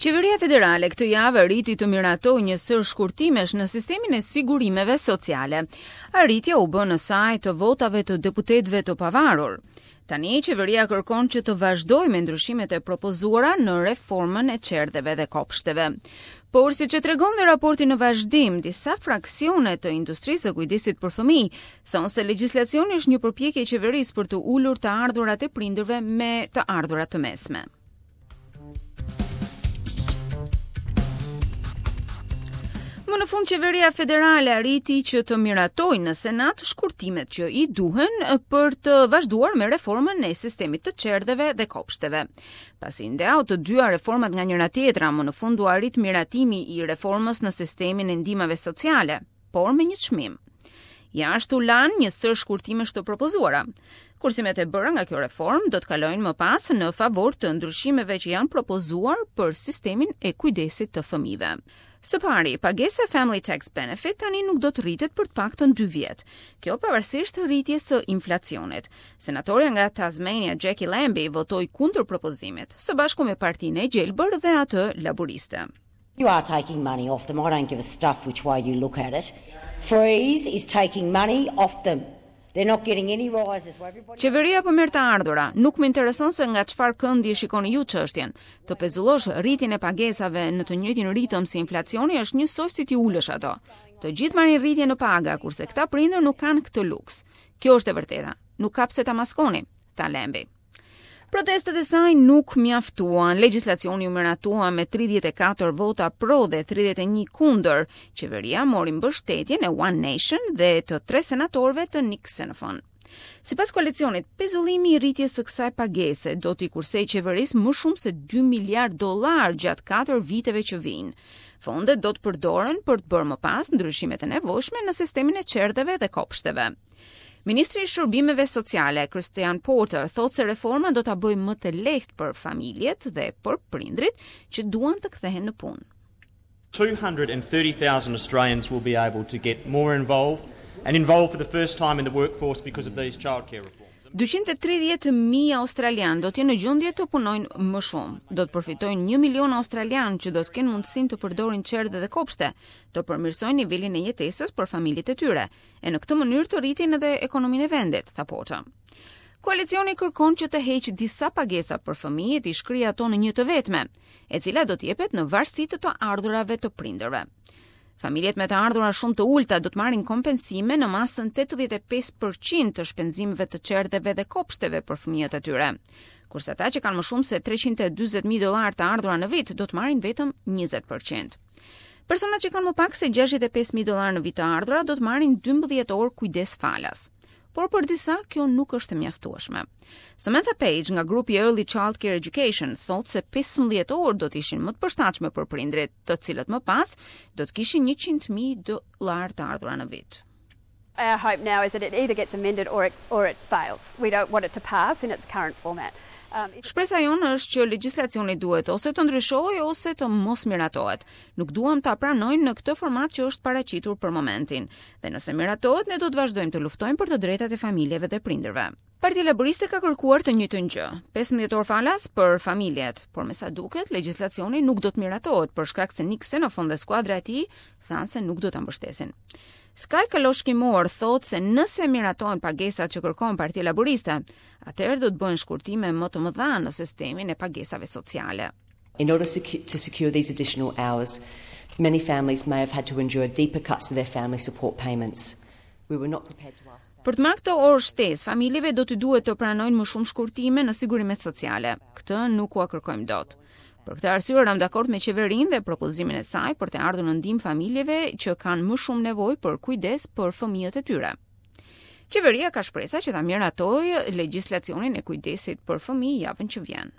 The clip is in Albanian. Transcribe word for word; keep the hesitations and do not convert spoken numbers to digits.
Qeveria federale këtë javë arriti të miratojë një sërë shkurtimesh në sistemin e sigurimeve sociale. Arritja u bë në sajë të votave të deputetëve të pavarur. Tani qeveria kërkon që të vazhdojë me ndryshimet e propozuara në reformën e çerdheve dhe kopshteve. Por siç e tregon dhe raporti në vazhdim, disa fraksione të industrisë së kujdesit për fëmijë thonë se legjislacioni është një përpjekje e qeverisë për të ulur të ardhurat e prindërve me të ardhura të mesme. Më në fund qeveria federale arriti që të miratojë në Senat shkurtimet që i duhen për të vazhduar me reformën e sistemit të çerdheve dhe kopshteve. Pasi ndau të dyja reformat nga njëra tjetra, më në fund u arrit miratimi i reformës në sistemin e ndihmave sociale, por me një çmim. Jashtë u lanë një sërë shkurtimesh të propozuara. Kursimet e bëra nga kjo reformë do të kalojnë më pas në favor të ndryshimeve që janë propozuar për sistemin e kujdesit të fëmijëve. Së pari, pagesa e Family Tax Benefit tani nuk do të rritet për të paktën dy vjet. Kjo pavarësisht rritjes së inflacionit. Senatorja nga Tasmania Jackie Lambie votoi kundër propozimit, së bashku me Partinë e Gjelbër dhe atë laboriste. You are taking money off them. I don't give a stuff which way you look at it. Freeze is taking money off them. They're not getting any rises. Qeveria po merr të ardhura. Nuk më intereson se nga çfarë këndi e shikoni ju çështjen. Të pezullosh rritjen e pagesave në të njëjtin ritëm si inflacioni është njësoj si t'i ulësh ato. Të gjithë marrin rritje në paga, kurse këta prindër nuk kanë këtë luks. Kjo është e vërteta. Nuk ka pse ta maskoni, tha Lambie. Protestat e saj nuk mjaftuan. Legjislacioni u miratua me tridhjetë e katër vota pro dhe tridhjetë e një kundër. Qeveria mori mbështetjen e One Nation dhe të tre senatorëve të Nick Xenophon. Sipas koalicionit, pezullimi i rritjes së kësaj pagese do t'i kursej qeverisë më shumë se dy miliard dollar gjatë katër viteve që vijnë. Fondet do të përdoren për të bërë më pas ndryshimet e nevojshme në sistemin e çerdheve dhe kopshteve. Ministri i Shërbimeve Sociale, Christian Porter, thotë se reforma do ta bëjë më të lehtë për familjet dhe për prindrit që duan të kthehen në punë. two hundred and thirty thousand Australians will be able to get more involved and involved for the first time in the workforce because of these childcare reforms. dyqind e tridhjetë mijë australian do të jenë në gjendje të punojnë më shumë. Do të përfitojnë një milion australian që do të kenë mundësinë të përdorin çerdhe dhe kopshte, të përmirësojnë nivelin e jetesës për familjet e tyre, e në këtë mënyrë të rritin edhe ekonominë e vendit, tha Porter. Koalicioni kërkon që të heqë disa pagesa për fëmijët i shkrijë ato në një të vetme, e cila do të jepet në varësi të të ardhurave të prindërve. Familjet me të ardhura shumë të ulta do të marrin kompensime në masën tetëdhjetë e pesë përqind të shpenzimeve të çerdheve dhe kopshteve për fëmijët e tyre. Kurse ata që kanë më shumë se treqind e dyzet mijë dollar të ardhura në vit do të marrin vetëm njëzet përqind. Personat që kanë më pak se gjashtëdhjetë e pesë mijë dollar në vit të ardhura do të marrin dymbëdhjetë orë kujdes falas. Por për disa kjo nuk është e mjaftueshme. Samantha Page nga grupi Early Child Care Education thotë se pesëmbëdhjetë orë do të ishin më të përshtatshme për prindrit, të cilët më pas do të kishin njëqind mijë dollar të ardhura në vit. Our hope now is that it either gets amended or it, or it fails. We don't want it to pass in its current format. Um, if Shpresa jonë është që legjislacioni duhet ose të ndryshojë ose të mos miratohet. Nuk duam ta pranojmë në këtë format që është paraqitur për momentin. Dhe nëse miratohet, ne do të vazhdojmë të luftojmë për të drejtat e familjeve dhe prindërve. Partia Laboriste ka kërkuar të njëjtën gjë, pesëmbëdhjetë orë falas për familjet, por me sa duket legjislacioni nuk do të miratohet për shkak se Nick Xenophon dhe skuadra e tij thanë se nuk do ta mbështesin. Sky Kaloshki-Moore thotë se nëse miratohen pagesat që kërkon Partia Laboriste, atëherë do të bëjnë shkurtime më të mëdha në sistemin e pagesave sociale. In order secu-, to secure these additional hours, many families may have had to endure deeper cuts to their family support payments. We were not prepared to ask. Për të marrë këto orë shtesë, familjeve do t'u duhet të pranojnë më shumë shkurtime në sigurimet sociale. Këtë nuk ua kërkojmë dot. Për këtë arsye ram dakord me qeverinë dhe propozimin e saj për të ardhur në ndihmë familjeve që kanë më shumë nevojë për kujdes për fëmijët e tyre. Qeveria ka shpresa që ta miratojë legjislacionin e kujdesit për fëmijë javën që vjen.